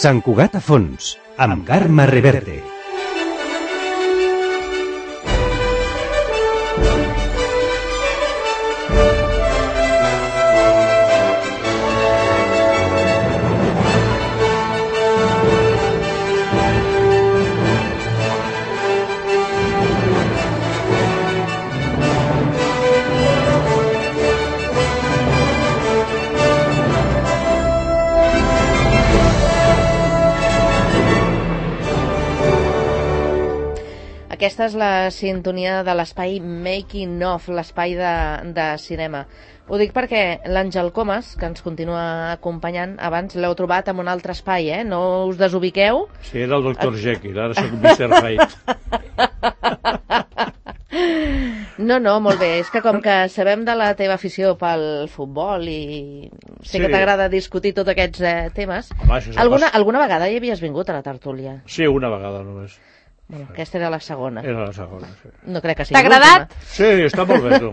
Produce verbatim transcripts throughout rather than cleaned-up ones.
Sant Cugat a fons, amb Carme Reverte. Aquesta és la sintonia de l'espai Making Of, l'espai de, de cinema. Ho dic perquè l'Àngel Comas, que ens continua acompanyant, abans l'heu trobat en un altre espai, eh? No us desubiqueu. Sí, era el doctor Jekyll, ara soc mister Hyde. No, no, molt bé. És que com que sabem de la teva afició pel futbol i sé sí. que t'agrada discutir tots aquests eh, temes, Home, alguna, alguna vegada hi havies vingut a la tertúlia? Sí, una vegada només. Bueno, aquesta era la segona. Era la segona, sí. No crec que sigui T'ha agradat? Sí, està molt bé, tu.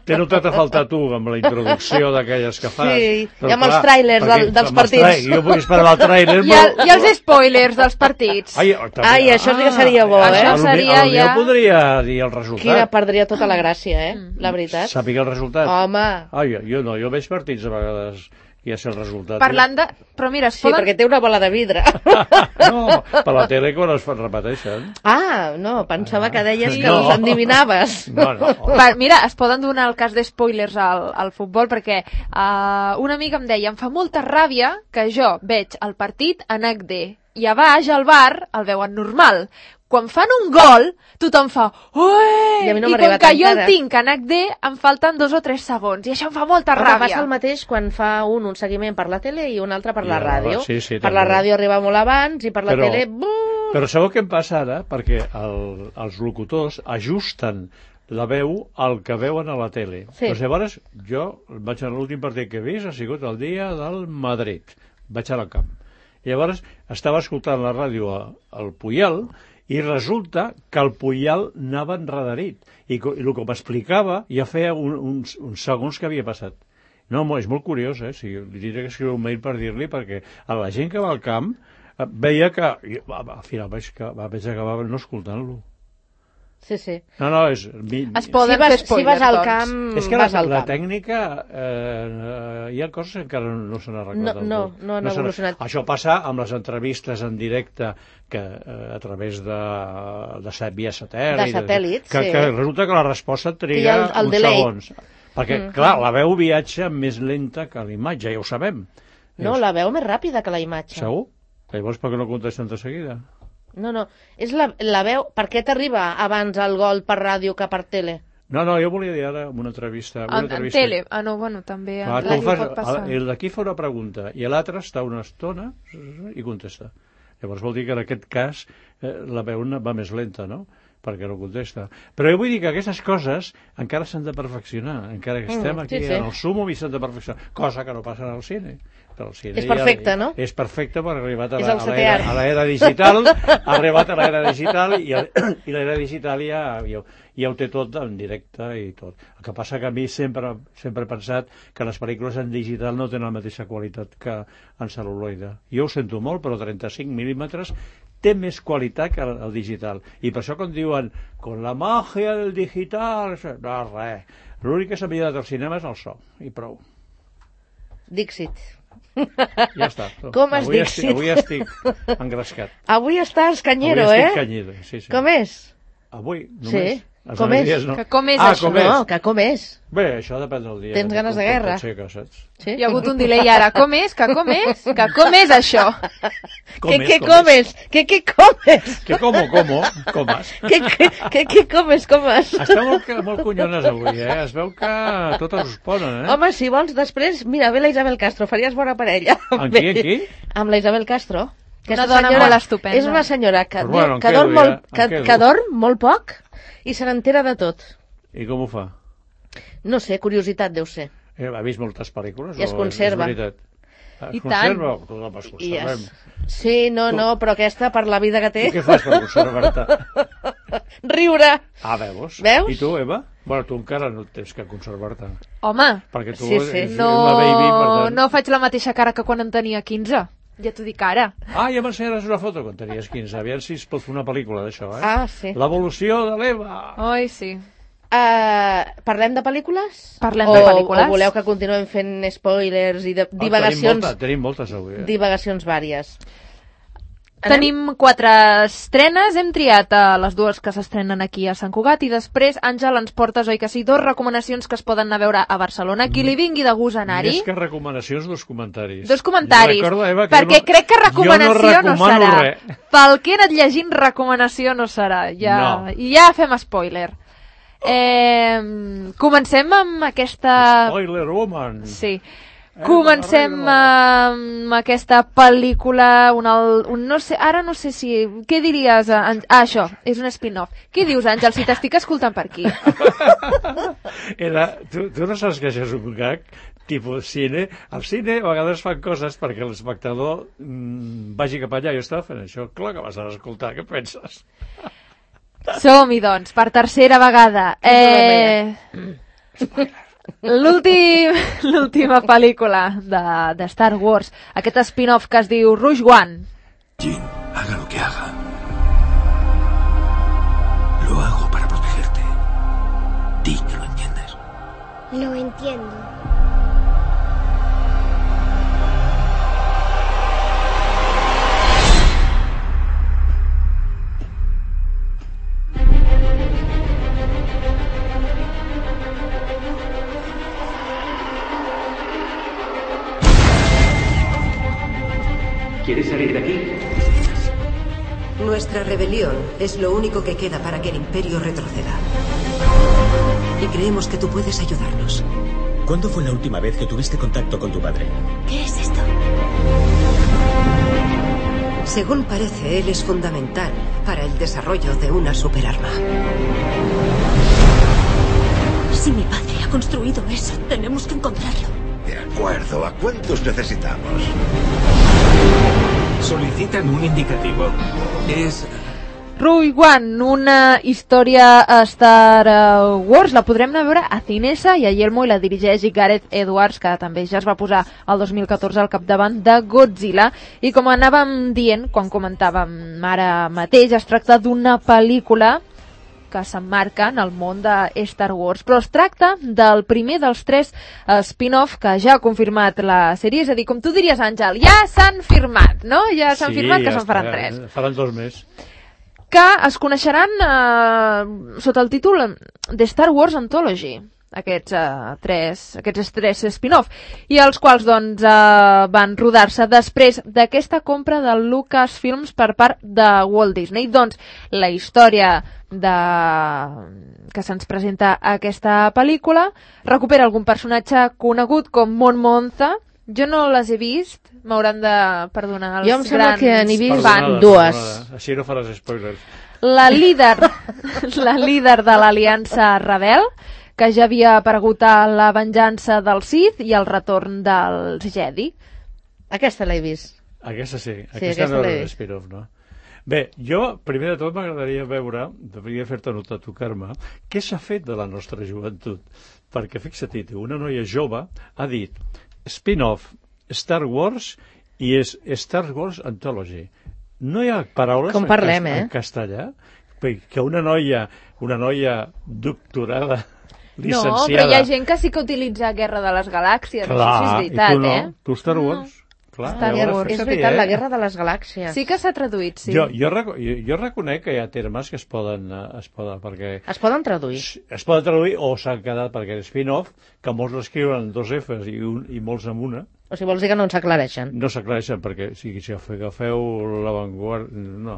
T'he notat a faltar tu amb la introducció d'aquelles que fas. Sí, i amb els tràilers del, dels partits. Jo vull esperar el tràiler. I, el, I els spoilers dels partits. Ai, Ai això sí que seria bo, eh? Això seria ja... Jo podria dir el resultat. Quina perdria tota la gràcia, eh? La veritat. Sàpiga el resultat. Home. Ai, jo no, jo veig partits a vegades... i és el resultat. Parlant de... Però mira, es sí, poden... perquè té una bola de vidre. No, per la tele quan es repeteixen. Ah, no, pensava ah, que deies que no. els endivinaves. No, no. Per, mira, es poden donar el cas d'espoilers al, al futbol, perquè uh, una amiga em deia, em fa molta ràbia que jo veig el partit en H D i a baix al bar el veuen normal. Quan fan un gol, tothom fa ué! I, no I com que jo el tinc en H D, em falten dos o tres segons. I això em fa molta Però ràbia. Passa el mateix quan fa un un seguiment per la tele i un altre per la ja, ràdio. Sí, sí, per la ràdio arriba molt abans i per la però, tele... Buh! Però sabeu què em passa ara? Perquè el, els locutors ajusten la veu al que veuen a la tele. Sí. Doncs llavors, jo vaig a l'últim partit que he vist, ha sigut el dia del Madrid. Vaig a la camp. Llavors, estava escoltant la ràdio al Puyal i resulta que el Puyal anava enrederit. I, i el que m'explicava ja feia un, uns, uns segons que havia passat. No, és molt curiós, eh? Si, li diré que escriu un mail per dir-li, perquè a la gent que va al camp veia que... Al final vaig, vaig acabar no escoltant-lo. Sí, sí. No, no, és... Mi, es poden si vas, fer spoilers, si vas al doncs. camp, és que vas la, al la camp. tècnica, eh, hi ha coses que encara no s'han arreglat. No, no, no han no evolucionat. Això passa amb les entrevistes en directe que eh, a través de, de set, via satèl·lit. De satèl·lit, que, sí. Que resulta que la resposta triga el, el uns delay. segons. Perquè, mm. clar, la veu viatja més lenta que la imatge, ja ho sabem. No, Dius, la veu més ràpida que la imatge. Segur? Llavors per què no contesten de seguida? No, no, és la, la veu... Per què t'arriba abans el gol per ràdio que per tele? No, no, jo volia dir ara en una entrevista... Una en, entrevista. en tele? Ah, no, bueno, també en Clar, ràdio fas, pot passar. El d'aquí fa una pregunta i l'altre està una estona i contesta. Llavors vol dir que en aquest cas eh, la veu va més lenta, no? Perquè no contesta. Però jo vull dir que aquestes coses encara s'han de perfeccionar, encara que estem aquí mm, sí, sí. en el súmum i s'han de perfeccionar, cosa que no passa en el cine. El cine és perfecte, ja, no? És perfecte perquè ha arribat a l'era digital, ha arribat a l'era digital i, i l'era digital ja, ja, ja ho té tot en directe i tot. El que passa que a mi sempre, sempre he pensat que les pel·lícules en digital no tenen la mateixa qualitat que en cel·luloide. Jo ho sento molt, però trenta-cinc mil·límetres té més qualitat que el, el digital. I per això quan diuen con la magia del digital, no, res. L'únic que s'ha millorat al cinema és el so, i prou. Dixit. Ja està. Com es avui Dixit? Estic, avui estic engrescat. Avui estàs canyero, avui estic eh? Canyero, sí, sí. Com és? Avui, només. Sí. Com és? No. Que com és ah, això? Com és? No, que com és? Bé, això depèn del dia. Tens ganes de guerra? Sí, que saps. Sí? Hi ha hagut un delay ara. Com és? Que com és? Que com és això? Com que és, què com comes? Que què comes? Que como, como, comes. Que que què comes, comes? Està molt, molt conyones avui, eh? Es veu que totes us ponen, eh? Home, si vols, després, mira, ve la Isabel Castro, faries bona parella. Amb qui, amb qui? Amb la Isabel Castro. Una dona molt estupenda. És una senyora que, Però bueno, que, dorm, ja? molt, que, que dorm molt poc i se n'entera de tot. I com ho fa? No sé, curiositat deu ser. Eh, ha vist moltes pel·lícules? I es conserva. És veritat. Es I conserva? tant. Tot es conservem. Yes. Sí, no, tu... no, però aquesta, per la vida que té... Tu què fas per conservar-te? Riure. Ah, veus? Veus? I tu, Eva? Bueno, tu encara no tens que conservar-te. Home, perquè tu sí, sí. ets No, una baby, per tant... no faig la mateixa cara que quan en tenia quinze. Ja t'ho dic ara. Ah, ja m'ensenyaràs una foto quan tenies quinze. Aviam si es pot fer una pel·lícula d'això, eh? Ah, sí. L'evolució de l'Eva. Oi, sí. Uh, parlem de pel·lícules? Parlem o, de pel·lícules. O voleu que continuem fent spoilers i de, Ah, divagacions, tenim, molta, tenim moltes avui, eh? divagacions vàries? Tenim quatre estrenes, hem triat uh, les dues que s'estrenen aquí a Sant Cugat i després, Àngel, ens portes, oi que sí, dos recomanacions que es poden anar a veure a Barcelona. Qui li vingui de gust anar-hi. Més que recomanacions, dos comentaris. Dos comentaris, recordo, Eva, que perquè no, crec que recomanació no, no serà. Res. Pel que he anat llegint, recomanació no serà. Ja, no. I ja fem spoiler. Eh, comencem amb aquesta... Spoiler woman. Sí. Comencem amb aquesta pel·lícula, un, un, no sé, ara no sé si... Què diries? Ah, això, és un spin-off. Què dius, Àngel, si t'estic escoltant per aquí? Era, tu, tu no saps que això és un gag? Tipus cine. Al cine a vegades fan coses perquè l'espectador mmm, vagi cap allà. Jo estava fent això. Clar que vas a escoltar, què penses? Som-hi, doncs, per tercera vegada. Eh... L'última pel·lícula de, de Star Wars, aquest spin-off que es diu Rogue One. Jin, haga lo que haga. Lo hago para protegerte. Di que lo entiendes. Lo entiendo. ¿Quieres salir de aquí? Nuestra rebelión es lo único que queda para que el Imperio retroceda. Y creemos que tú puedes ayudarnos. ¿Cuándo fue la última vez que tuviste contacto con tu padre? ¿Qué es esto? Según parece, él es fundamental para el desarrollo de una superarma. Si mi padre ha construido eso, tenemos que encontrarlo. De acuerdo, ¿a cuántos necesitamos? Solicitan un indicativo. Es... Rogue One, una història a Star Wars. La podrem anar a veure a Cinesa i a Yelmo, i la dirigeix Gareth Edwards, que també ja es va posar el dos mil catorze al capdavant de Godzilla. I com anàvem dient, quan comentàvem ara mateix, es tracta d'una pel·lícula que s'emmarca en el món de Star Wars, però es tracta del primer dels tres uh, spin-off que ja ha confirmat la sèrie, és a dir, com tu diries, Àngel, ja s'han firmat, no? Ja s'han sí, firmat que ja se'n faran està, tres. Faran dos més. Que es coneixeran uh, sota el títol de Star Wars Anthology, aquests, uh, tres, aquests tres spin-off, i els quals doncs, uh, van rodar-se després d'aquesta compra de Lucasfilms per part de Walt Disney. Doncs la història de... que se'ns presenta aquesta pel·lícula recupera algun personatge conegut com Mon Mothma. Jo no les he vist, m'hauran de perdonar els grans... Jo em sembla que n'he vist Perdonada, dues. Perdonada. Així no faràs spoilers. La líder, la líder de l'Aliança Rebel, que ja havia aparegut a La venjança del Sith i el retorn dels Jedi. Aquesta l'he vist. Aquesta sí, Sí, aquesta, aquesta no l'he era vist. spin-off, no? Bé, jo, primer de tot, m'agradaria veure, devia fer-te notar tu, Carme, què s'ha fet de la nostra joventut. Perquè, fixa't, una noia jove ha dit spin-off Star Wars i és Star Wars Anthology. No hi ha paraules Com en, parlem, cas, eh? en castellà que una noia, una noia doctorada, licenciada... No, però hi ha gent que sí que utilitza Guerra de les Galàxies, Clar, això sí és veritat, i tu no? eh? Tu Star Wars? No. Clar, Star llavors, Wars. És fixa't, veritat, eh? la Guerra de les Galàxies. Sí que s'ha traduït, sí. Jo, jo, reco jo, jo reconec que hi ha termes que es poden, eh, es poden perquè Es poden traduir. es poden traduir o s'han quedat perquè és spin-off, que molts l'escriuen amb dos Fs i, un, i molts amb una, O sigui, vols dir que no ens aclareixen. no s'aclareixen perquè si, si agafeu l'avantguarda, no,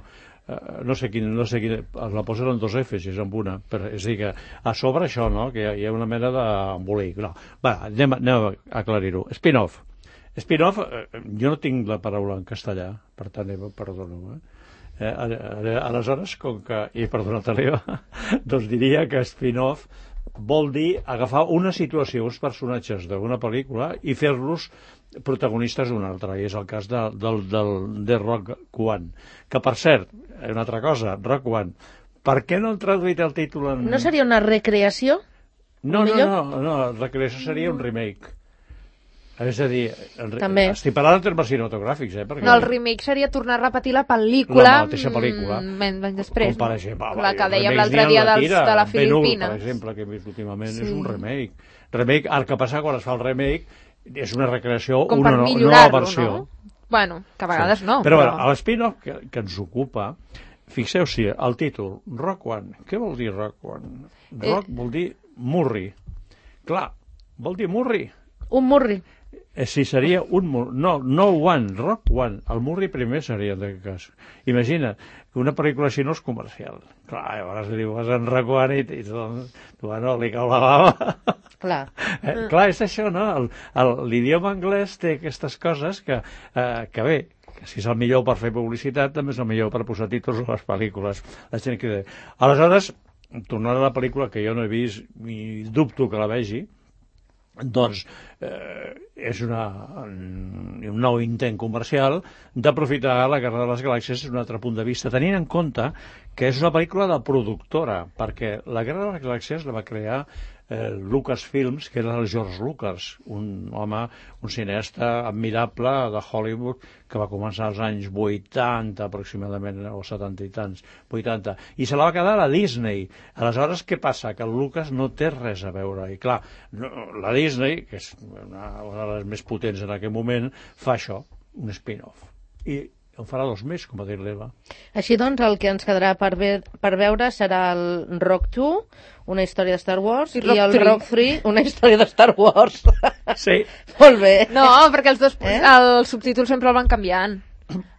eh, no sé quin, no sé quin, la posen amb dos Fs i és amb una, però, és a dir que a sobre això, no?, que hi ha, hi ha una mena d'embolic. No, va, anem, anem a aclarir-ho. Spin-off. Spin-off, eh, jo no tinc la paraula en castellà, per tant, Eva, perdona-ho, eh? Eh, aleshores, com que, i perdona l'Eva, doncs diria que spin-off vol dir agafar una situació, uns personatges d'una pel·lícula i fer-los protagonistes d'una altra, i és el cas de, del, del, de Rogue One, que per cert, una altra cosa, Rogue One, per què no han traduït el títol en... No seria una recreació? No, no, millor? no, no, la creació seria un remake. És a dir, També. estic parlant en termes cinematogràfics, eh? Perquè... No, el remake seria tornar a repetir la pel·lícula... La mateixa pel·lícula. Mm, anys després. Com per exemple, La que dèiem l'altre dia dels, de la Filipina. Per exemple, que hem vist últimament, Sí. és un remake. Remake, el que passa quan es fa el remake és una recreació, Com una per no, nova millorar-lo, versió. no? Bueno, que a vegades Sí. no. Però, Però, bueno, a l'espin-off que, que ens ocupa, fixeu-s'hi, el títol, Rock One. Què vol dir Rock One? Rock Eh. vol dir Murri. Clar, vol dir Murri. Un murri. Eh, si seria un... Mur- No, no One, Rock One. El Murri primer seria, en aquest cas. Imagina que una pel·lícula així no és comercial. Clar, llavors li dius en Rock One i, i tu, tu, bueno, li cau la bava. Clar. Eh, clar, és això, no? El- el- L'idioma anglès té aquestes coses que, eh, que bé, que si és el millor per fer publicitat, també és el millor per posar títols a les pel·lícules. La gent que té. Aleshores, tornant a la pel·lícula, que jo no he vist i dubto que la vegi, doncs eh, és una, un, un nou intent comercial d'aprofitar la Guerra de les Galàxies des d'un altre punt de vista, tenint en compte que és una pel·lícula de productora, perquè la Guerra de les Galàxies la va crear eh, Lucasfilms, que era el George Lucas, un home, un cineasta admirable de Hollywood, que va començar als anys vuitanta aproximadament, o setanta i tants, vuitanta, i se la va quedar a Disney. Aleshores, què passa? Que el Lucas no té res a veure, i clar, no, la Disney, que és una, una de les més potents en aquell moment, fa això, un spin-off. I en farà dos més, com va dir l'Eva. Així doncs, el que ens quedarà per, ve per veure serà el Rock dos, una història de Star Wars, I i, Rock el tres. Rock tres, una història de Star Wars. Sí. Molt bé. no, perquè els dos, Eh? els subtítols sempre el van canviant.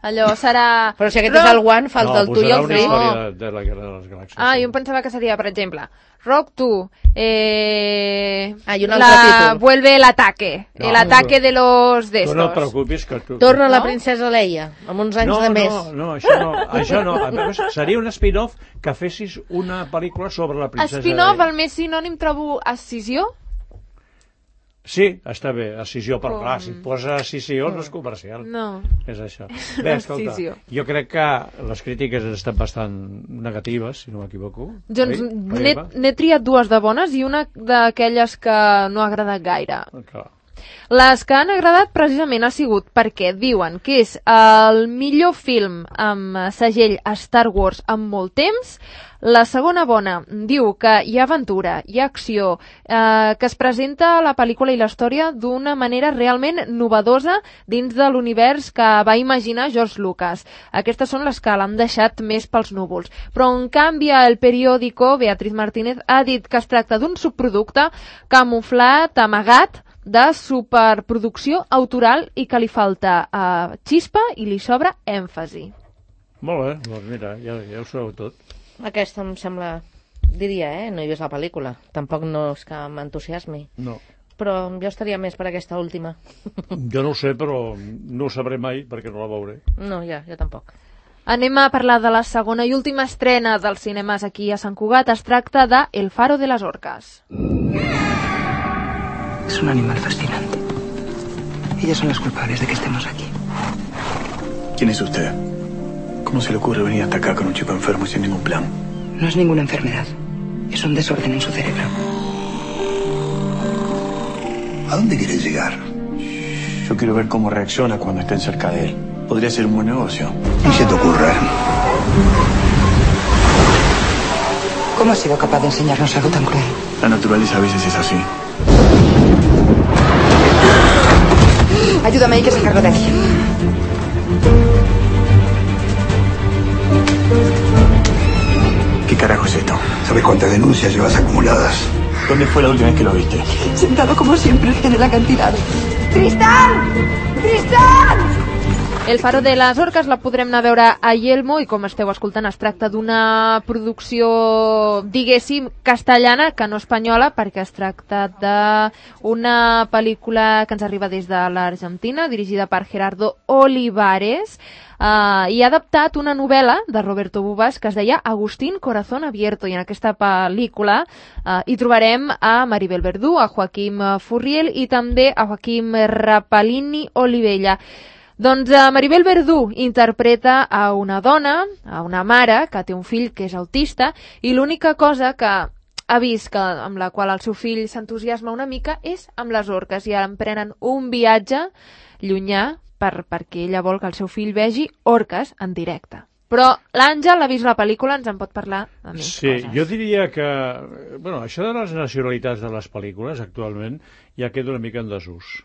Allò serà... Però si aquest és el one, falta no, el tu i posarà el una tres. història de, de la Guerra de les Galàxies. Ah, sí. jo em pensava que seria, per exemple, Rock dos, eh... Ah, i un altre la... títol. Vuelve el ataque, No, el ataque no. de los de Tu no et estos. preocupis que tu... Torna la No? princesa Leia, amb uns anys no, de més. No, no, això no, això no. A veure, seria un spin-off que fessis una pel·lícula sobre la princesa... Spin-off, Leia. el més sinònim trobo escissió. Sí, està bé, escissió, però Com- clar, si et posa escissió no és comercial. No. És això. Bé, escolta, Escissió. jo crec que les crítiques han estat bastant negatives, si no m'equivoco. Doncs Oi? n'he Eva? n'he triat dues de bones i una d'aquelles que no ha agradat gaire. Clar. Les que han agradat precisament ha sigut perquè diuen que és el millor film amb segell Star Wars en molt temps. La segona bona diu que hi ha aventura, hi ha acció, eh, que es presenta la pel·lícula i la història d'una manera realment novedosa dins de l'univers que va imaginar George Lucas. Aquestes són les que l'han deixat més pels núvols. Però en canvi el periòdico, Beatriz Martínez, ha dit que es tracta d'un subproducte camuflat, amagat, de superproducció autoral i que li falta eh, xispa i li sobra èmfasi. Molt bé, doncs mira, ja, ja ho sabeu tot. Aquesta em sembla, diria, eh? No he vist la pel·lícula. Tampoc no és que m'entusiasmi. No. Però jo estaria més per aquesta última. Jo no ho sé, però no ho sabré mai perquè no la veuré. No, ja, jo tampoc. Anem a parlar de la segona i última estrena dels cinemes aquí a Sant Cugat. Es tracta de El faro de las orcas. Es un animal fascinante. Ellas son las culpables de que estemos aquí. ¿Quién es usted? ¿Cómo se le ocurre venir hasta acá con un chico enfermo y sin ningún plan? No es ninguna enfermedad. Es un desorden en su cerebro. ¿A dónde quieres llegar? Yo quiero ver cómo reacciona cuando estén cerca de él. Podría ser un buen negocio. Ni se te ocurra. ¿Cómo has sido capaz de enseñarnos algo tan cruel? La naturaleza a veces es así. Ayúdame, hay que sacarlo de aquí. ¿Qué carajo es esto? ¿Sabes cuántas denuncias llevas acumuladas? ¿Dónde fue la última vez que lo viste? Sentado como siempre en el acantilado. ¡Tristán! ¡Tristán! El faro de les orques la podrem anar a veure a Yelmo i com esteu escoltant es tracta d'una producció, diguéssim, castellana que no espanyola, perquè es tracta d'una pel·lícula que ens arriba des de l'Argentina, dirigida per Gerardo Olivares, Uh, i ha adaptat una novel·la de Roberto Bubas que es deia Agustín Corazón Abierto, i en aquesta pel·lícula uh, hi trobarem a Maribel Verdú, a Joaquim Furriel i també a Joaquim Rapalini Olivella. Doncs uh, Maribel Verdú interpreta a una dona, a una mare que té un fill que és autista, i l'única cosa que ha vist que amb la qual el seu fill s'entusiasma una mica és amb les orques i emprenen un viatge llunyà per, perquè ella vol que el seu fill vegi orques en directe. Però l'Àngel ha vist la pel·lícula, ens en pot parlar de més sí, coses. Jo diria que... Bueno, això de les nacionalitats de les pel·lícules actualment ja queda una mica en desús,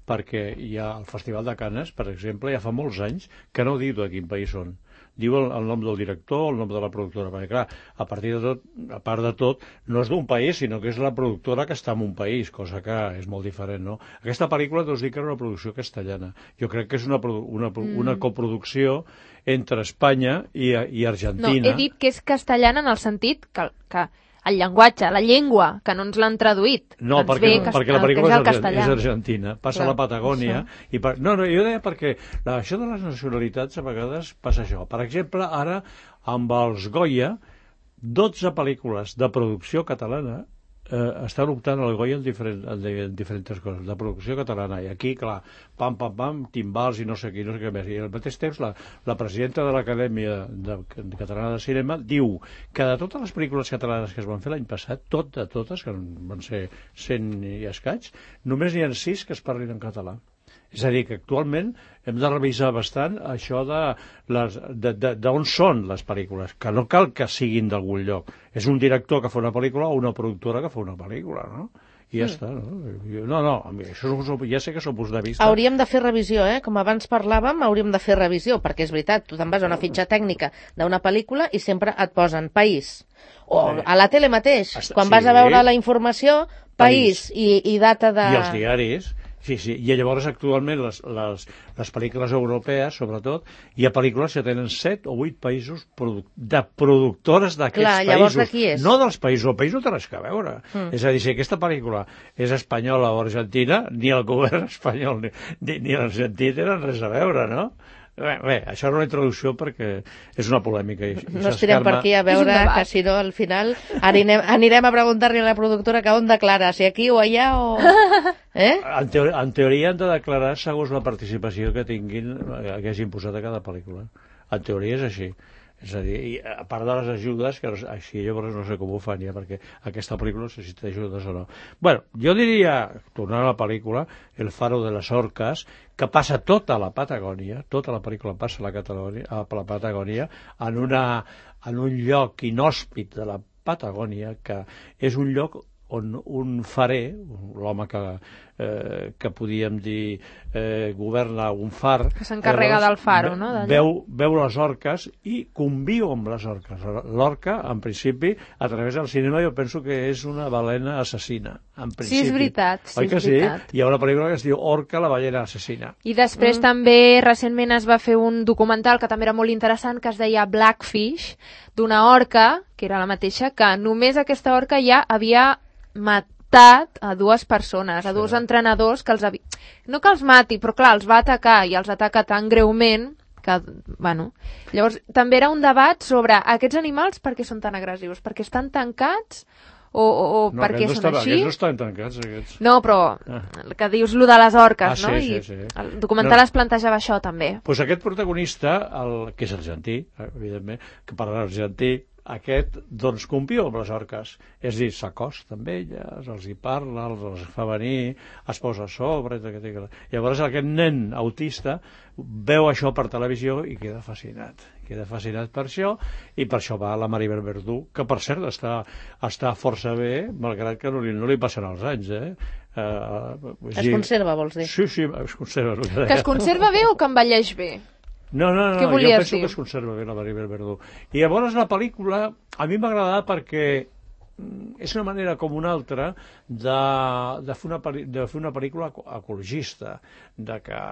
perquè hi ha el Festival de Canes, per exemple, ja fa molts anys que no diu de quin país són. Diu el, el nom del director, el nom de la productora, perquè clar, a partir de tot, a part de tot, no és d'un país, sinó que és la productora que està en un país, cosa que és molt diferent, no? Aquesta pel·lícula us dic que era una producció castellana. Jo crec que és una, una, una mm. coproducció entre Espanya i, i Argentina. No, he dit que és castellana en el sentit que, que el llenguatge, la llengua, que no ens l'han traduït. No, perquè, no, perquè la pel·lícula és, és, és argentina, passa Clar, a la Patagònia. I per, no, no, jo deia perquè la, això de les nacionalitats a vegades passa això. Per exemple, ara, amb els Goya, dotze pel·lícules de producció catalana eh, estan optant al Goya en, diferent, en diferents coses, de producció catalana. I aquí, clar, pam, pam, pam, timbals i no sé qui, no sé què més. I al mateix temps, la, la presidenta de l'Acadèmia de, de Catalana de Cinema diu que de totes les pel·lícules catalanes que es van fer l'any passat, tot de totes, que van ser cent i escaig, només n'hi ha sis que es parlin en català. És a dir, que actualment hem de revisar bastant això de d'on són les pel·lícules, que no cal que siguin d'algun lloc. És un director que fa una pel·lícula o una productora que fa una pel·lícula, no? I ja mm. està, no? No, no, això ja sé que són punts de vista. Hauríem de fer revisió, eh? Com abans parlàvem, hauríem de fer revisió, perquè és veritat, tu te'n vas a una fitxa tècnica d'una pel·lícula i sempre et posen país. O a la tele mateix, quan vas a veure la informació, país i, i data de... I els diaris... Sí, sí, i llavors actualment les, les, les pel·lícules europees, sobretot, hi ha pel·lícules que tenen set o vuit països produ de productores d'aquests països. Llavors de qui és? No dels països, el país no té res a veure. Mm. És a dir, si aquesta pel·lícula és espanyola o argentina, ni el govern espanyol ni, ni, ni l'Argentina tenen res a veure, no? Bé, bé, això és una introducció perquè és una polèmica. I, i no estirem per aquí a veure que si no al final anirem, anirem a preguntar-li a la productora que on declara, si aquí o allà o... Eh? En, teoria, en teoria han de declarar segons la participació que tinguin, que hagin posat a cada pel·lícula. En teoria és així. És a dir, i a part de les ajudes, que així llavors no sé com ho fan ja, perquè aquesta pel·lícula necessita ajudes o no. Bueno, jo diria, tornant a la pel·lícula, El faro de les orques, que passa tota la Patagònia, tota la pel·lícula passa a la, Catalònia, a la Patagònia, en, una, en un lloc inhòspit de la Patagònia, que és un lloc on un farer, l'home que, eh, que podíem dir eh, governa un far, que s'encarrega del faro, no? Veu, veu les orques i conviu amb les orques. L'orca, en principi, a través del cinema jo penso que és una balena assassina, en principi. Sí, és veritat. Sí, Oi que és sí? veritat. Hi ha una pel·lícula que es diu Orca, la ballena assassina. I després mm. també recentment es va fer un documental que també era molt interessant, que es deia Blackfish, d'una orca, que era la mateixa, que només aquesta orca ja havia matat a dues persones, a dos sí. entrenadors que els havia... No que els mati, però clar, els va atacar i els ataca tan greument que, bueno... Llavors, també era un debat sobre aquests animals per què són tan agressius, perquè estan tancats o, o, o no, per què no són estava, així? Aquests no estan tancats, aquests. No, però ah. que dius lo de les orques, ah, no? Sí, I sí, sí. el documental no. es plantejava això també. Pues aquest protagonista, el, que és argentí, evidentment, que parla argentí, aquest, doncs, conviu amb les orques. És a dir, s'acosta amb elles, els hi parla, els, els fa venir, es posa a sobre... Llavors aquest nen autista veu això per televisió i queda fascinat. Queda fascinat per això i per això va a la Maribel Verdú, que per cert està, està força bé, malgrat que no li, no li passen els anys, eh? Uh, es dir... conserva, vols dir? Sí, sí, es conserva. Que es conserva bé o que envelleix bé? No, no, no, Què jo penso dir? que es conserva bé la Maribel Verdú. I llavors la pel·lícula a mi m'ha agradat perquè és una manera com una altra de, de, fer, una, de fer una pel·lícula ecologista, de que,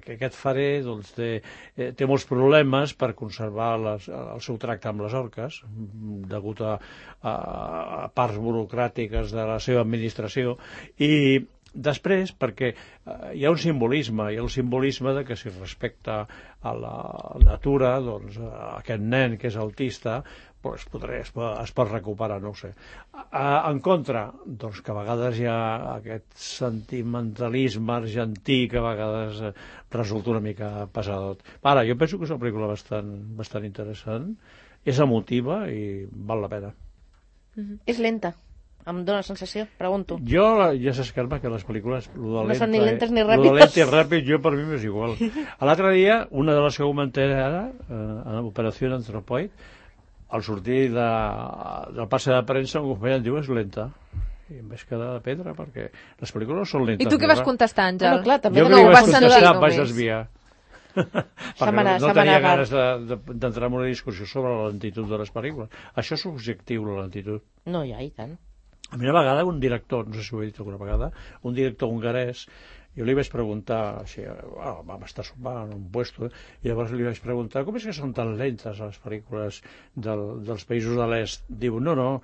que aquest farer doncs, té, té molts problemes per conservar les, el seu tracte amb les orques, degut a, a, a parts burocràtiques de la seva administració, i després, perquè eh, hi ha un simbolisme, hi ha un simbolisme de que si respecta a la natura, doncs a aquest nen que és autista, pues, podré, es, pot, es pot recuperar, no ho sé. A, en contra, doncs que a vegades hi ha aquest sentimentalisme argentí que a vegades eh, resulta una mica pesadot. Ara, jo penso que és una pel·lícula bastant, bastant interessant, és emotiva i val la pena. Mm-hmm. És lenta. Em dóna la sensació, pregunto. Jo, ja saps, Carme, que les pel·lícules... No són ni lentes ni ràpides. ràpides. Lo de lent i ràpid, jo per mi m'és igual. A l'altre dia, una de les que comenté ara, eh, en Operació Antropoid, al sortir de, del passe de premsa, un company em diu és lenta. I em vaig quedar de pedra, perquè les pel·lícules són lentes. I tu què vas contestar, Àngel? Bueno, clar, també jo no que ho vaig vas contestar, vaig desviar. perquè Setmana, no tenia setmana ganes d'entrar en una discussió sobre la lentitud de les pel·lícules. Això és subjectiu, la lentitud. No, ja, i tant. A mi una vegada un director, no sé si ho he dit alguna vegada, un director hongarès, jo li vaig preguntar, així, oh, vam estar sopant en un puesto, eh? I llavors li vaig preguntar com és que són tan lentes les pel·lícules del, dels països de l'est. Diu, no, no,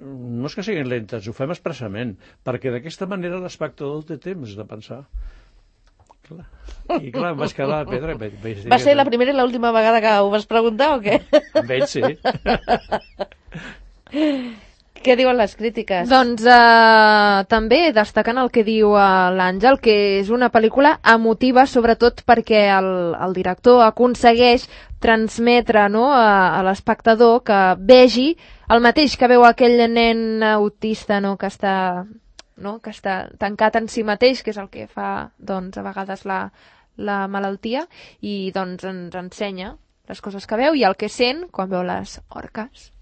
no és que siguin lentes, ho fem expressament, perquè d'aquesta manera l'espectador té temps de pensar. Clar. I clar, em vaig quedar a pedra. Vaig, vaig dir Va ser que... la primera i l'última vegada que ho vas preguntar o què? Amb ell, sí. Què diuen les crítiques? Doncs eh, també destacant el que diu eh, l'Àngel, que és una pel·lícula emotiva, sobretot perquè el, el director aconsegueix transmetre, no, a, a l'espectador que vegi el mateix que veu aquell nen autista, no, que està, no, que està tancat en si mateix, que és el que fa, doncs, a vegades la, la malaltia, i doncs ens ensenya les coses que veu i el que sent quan veu les orques.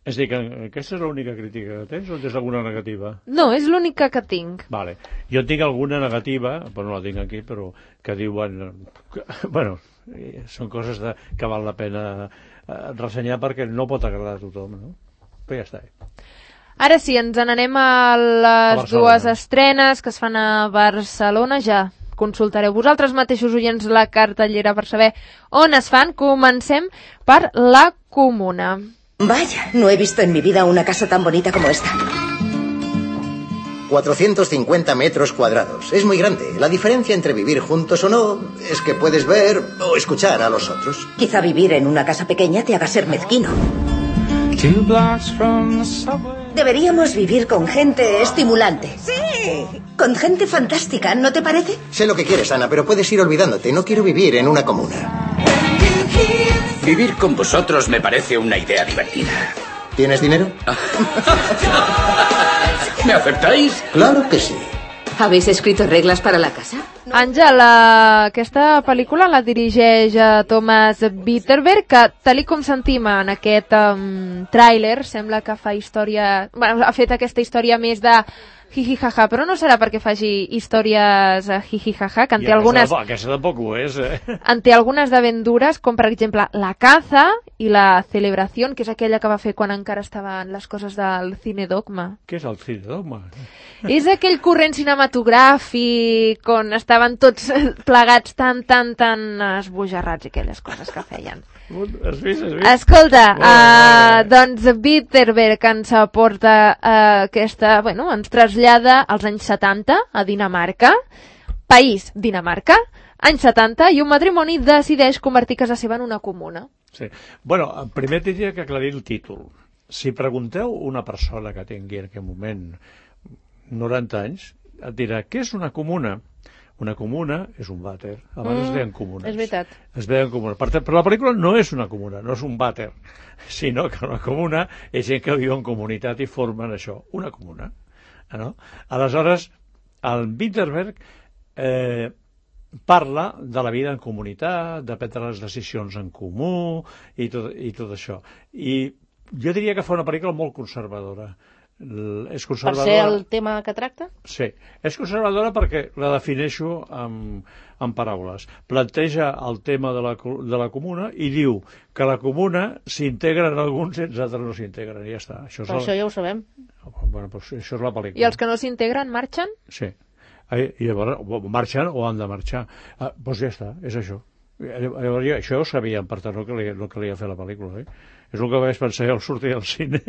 És a dir, que aquesta és l'única crítica que tens o tens alguna negativa? No, és l'única que tinc. Vale. Jo tinc alguna negativa, però no la tinc aquí, però que diuen... Que, bueno, són coses de, que val la pena eh, ressenyar perquè no pot agradar a tothom, no? Però ja està. Ara sí, ens n'anem a les a dues estrenes que es fan a Barcelona. Ja consultareu vosaltres mateixos, oients, la cartellera per saber on es fan. Comencem per La Comuna. Vaya, no he visto en mi vida una casa tan bonita como esta. cuatrocientos cincuenta metros cuadrados. Es muy grande. La diferencia entre vivir juntos o no es que puedes ver o escuchar a los otros. Quizá vivir en una casa pequeña te haga ser mezquino. Deberíamos vivir con gente estimulante. Sí. Con gente fantástica, ¿no te parece? Sé lo que quieres, Ana, pero puedes ir olvidándote. No quiero vivir en una comuna. Vivir con vosotros me parece una idea divertida. ¿Tienes dinero? ¿Me aceptáis? Claro que sí. ¿Habéis escrito reglas para la casa? Àngel, aquesta pel·lícula la dirigeix Thomas Vinterberg, que tal com sentim en aquest um, tràiler, sembla que fa història... Bueno, ha fet aquesta història més de jiji-jaja, però no serà perquè faci històries jiji-jaja, que en té I algunes... Aquesta, aquesta tampoc ho és, eh? En té algunes de ben dures, com per exemple La caza i La celebració, que és aquella que va fer quan encara estaven les coses del Cine Dogma. Què és el Cine Dogma? És aquell corrent cinematogràfic on estaven tots plegats tan, tan, tan esbojarrats i aquelles coses que feien. Has vist, has vist? Escolta, uh, doncs Vinterberg ens aporta uh, aquesta, bueno, ens trasllada als anys setanta a Dinamarca, país Dinamarca, anys setanta, i un matrimoni decideix convertir casa seva en una comuna. Sí. Bueno, primer tindria que aclarir el títol. Si pregunteu una persona que tingui en aquest moment noranta anys, et dirà, què és una comuna? Una comuna és un vàter. Abans mm, es deien comunes. És veritat. Es deien comunes. Per, però la pel·lícula no és una comuna, no és un vàter, sinó que una comuna és gent que viu en comunitat i formen això, una comuna. No? Aleshores, el Vinterberg eh, parla de la vida en comunitat, de prendre les decisions en comú i tot, i tot això. I jo diria que fa una pel·lícula molt conservadora. És conservadora... Per ser el tema que tracta? Sí, és conservadora perquè la defineixo amb, amb paraules. Planteja el tema de la, de la comuna i diu que la comuna s'integren alguns i els altres no s'integren, i ja està. Això, Però el... això ja ho sabem. Bueno, doncs això és la pel·lícula. I els que no s'integren marxen? Sí. I llavors marxen o han de marxar. Ah, doncs ja està, és això. Llavors, jo, això ho sabíem, per tant, no calia, no calia fer la pel·lícula, eh? És el que vaig pensar al sortir del cine.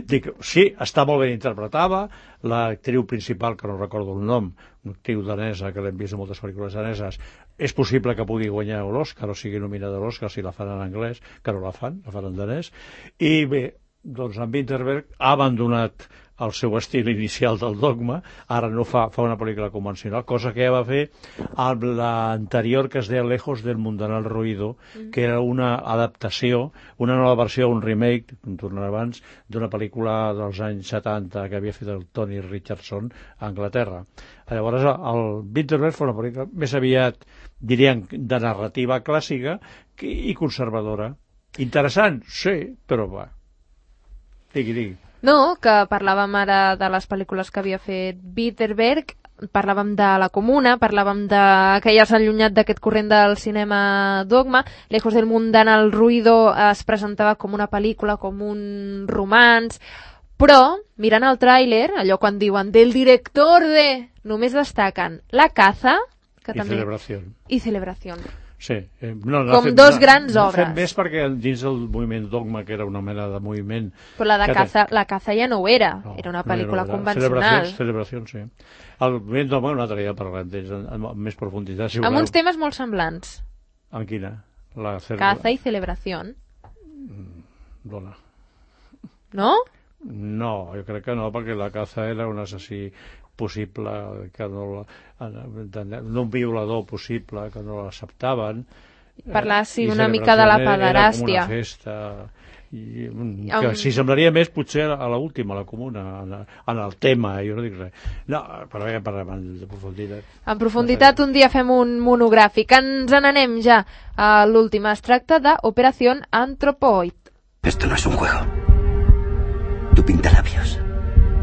Dic, sí, està molt ben interpretada, l'actriu principal, que no recordo el nom, una actriu danesa, que l'hem vist en moltes pel·lícules daneses, és possible que pugui guanyar l'Oscar, o sigui nominada a l'Oscar, si la fan en anglès, que no la fan, la fan en danès. I bé, doncs en Vinterberg ha abandonat el seu estil inicial del Dogma, ara no fa, fa una pel·lícula convencional, cosa que ja va fer amb l'anterior que es deia Lejos del mundanal ruido, mm. que era una adaptació, una nova versió, un remake, com tornarà abans, d'una pel·lícula dels anys setanta que havia fet el Tony Richardson a Anglaterra. Llavors, el Winterberg fa una pel·lícula més aviat, diríem, de narrativa clàssica i conservadora. Interessant, sí, però va. Digui, digui. No, que parlàvem ara de les pel·lícules que havia fet Winterberg, parlàvem de La Comuna, parlàvem de que ja s'ha allunyat d'aquest corrent del cinema Dogma. Lejos del mundanal ruido es presentava com una pel·lícula, com un romanç, però, mirant el tràiler, allò quan diuen del director de... només destaquen La caza, que I també... Celebración. I Celebración. Sí. Eh, no, no com fet, dos no, grans no obres. No més perquè dins del moviment Dogma, que era una mena de moviment... Però la de caza, te... la caza ja no ho era, no, era una pel·lícula no convencional. Celebració, sí. El moviment Dogma, un altre dia parlem d'ells amb més profunditat. Si amb uns temes molt semblants. En quina? La celebra... Caza i Celebración. Dona. No? No, jo crec que no, perquè la caza era un assassí possible, que no, no un violador possible, que no l'acceptaven. Parlar, sí, una mica de la pederàstia. Era com una festa... I, que um... si semblaria més potser a l'última, a La Comuna, en, en el tema, jo no dic res. No, però ja parlem de profunditat. En profunditat un dia fem un monogràfic. Ens n'anem ja a l'última. Es tracta d'Operación Anthropoid. Esto no es un juego. Tu pintalabios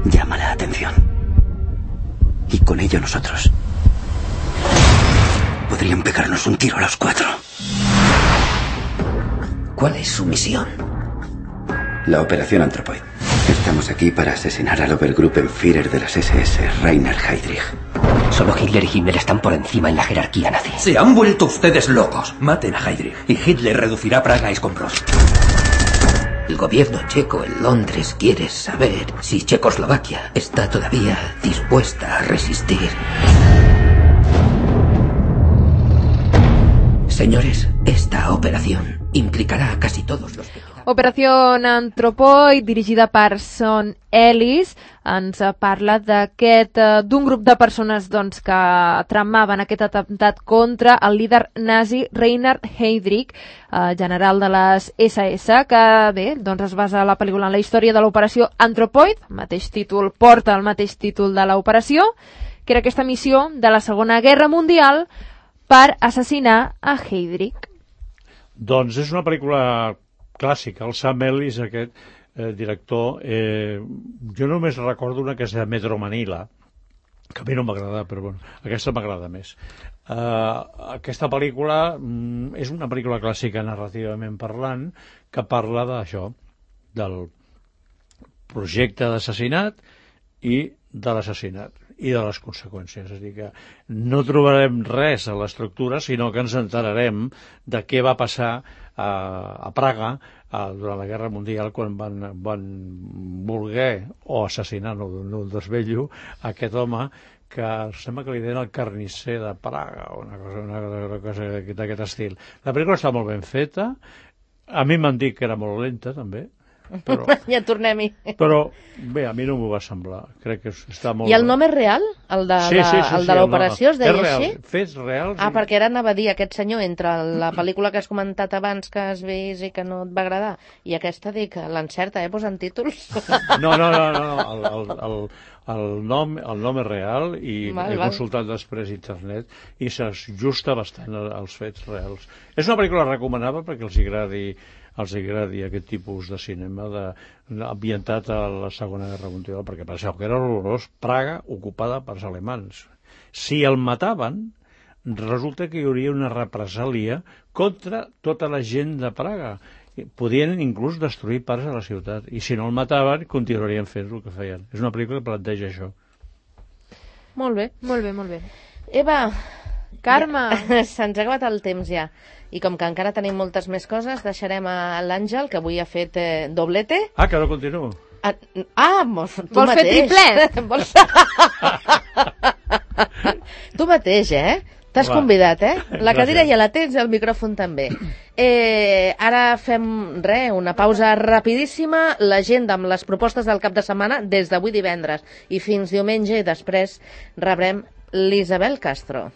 llama la atención. Y con ello nosotros podrían pegarnos un tiro a los cuatro. ¿Cuál es su misión? La Operación Anthropoid. Estamos aquí para asesinar al Obergruppenführer de las S S, Rainer Heydrich. Solo Hitler y Himmler están por encima en la jerarquía nazi. Se han vuelto ustedes locos. Maten a Heydrich y Hitler reducirá Praga a escombros. El gobierno checo en Londres quiere saber si Checoslovaquia está todavía dispuesta a resistir. Señores, esta operación implicará a casi todos los... Operació Anthropoid, dirigida per Sean Ellis, ens parla d'aquest d'un grup de persones doncs, que tramaven aquest atemptat contra el líder nazi Rainer Heydrich, eh, general de les S S, que bé, doncs es basa la pel·lícula en la història de l'operació Anthropoid, el mateix títol porta el mateix títol de l'operació, que era aquesta missió de la Segona Guerra Mundial per assassinar a Heydrich. Doncs és una pel·lícula clàssica, el Sam Ellis, aquest eh, director, eh, jo només recordo una que és de Metro Manila, que a mi no m'agrada, però bueno, aquesta m'agrada més. Uh, aquesta pel·lícula mm, és una pel·lícula clàssica narrativament parlant, que parla d'això, del projecte d'assassinat i de l'assassinat i de les conseqüències. És a dir, que no trobarem res a l'estructura, sinó que ens enterarem de què va passar a, a Praga a, durant la Guerra Mundial, quan van, van voler, o assassinar, no, no desvello, aquest home que sembla que li deien el carnisser de Praga, o una cosa, una, una cosa d'aquest estil. La pel·lícula està molt ben feta, a mi m'han dit que era molt lenta, també, però, ja tornem-hi. Però bé, a mi no m'ho va semblar. Crec que està molt... I el nom és real? El de, sí, sí, sí, el de l'operació es deia és real, així? Fets reals. Ah, perquè ara anava a dir aquest senyor entre la pel·lícula que has comentat abans que has vist i que no et va agradar i aquesta, dic, l'encerta, eh, posant títols? No, no, no, no, no. El, el, el, el, nom, el nom és real i val, he val. consultat després internet i s'ajusta bastant als fets reals. És una pel·lícula recomanable perquè els agradi els agradi aquest tipus de cinema de, ambientat a la Segona Guerra Mundial, perquè penseu que era horrorós Praga ocupada pels alemans. Si el mataven, resulta que hi hauria una represàlia contra tota la gent de Praga. Podien inclús destruir parts de la ciutat, i si no el mataven, continuarien fent el que feien. És una pel·lícula que planteja això. Molt bé. Molt bé, molt bé. Eva, Carme, ja, se'ns ha acabat el temps ja. I com que encara tenim moltes més coses, deixarem a l'Àngel, que avui ha fet eh, doblete. Ah, que no continuo. Ah, ah mos, tu vols mateix. fer triplet? Vols... tu mateix, eh? T'has convidat, eh? La cadira ja la tens i el micròfon també. Eh, ara fem, res, una pausa rapidíssima, l'agenda amb les propostes del cap de setmana des d'avui divendres i fins diumenge, i després rebrem l'Isabel Castro.